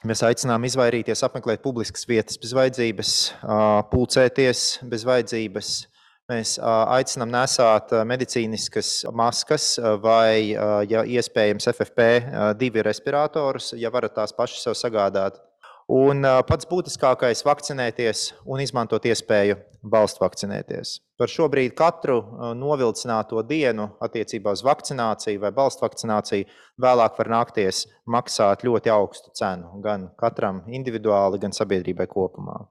Mēs aicinām izvairīties apmeklēt publiskas vietas bez vajadzības, pulcēties bez vajadzības. Mēs aicinām nesāt medicīniskas maskas vai, ja iespējams, FFP2 respiratorus, ja varat tās paši sev sagādāt. Un pats būtiskākais - vakcinēties un izmantot iespēju valsts vakcinēties. Par šobrīd katru novilcināto dienu attiecībā uz vakcināciju vai valsts vakcināciju vēlāk var nākties maksāt ļoti augstu cenu gan katram individuāli, gan sabiedrībai kopumā.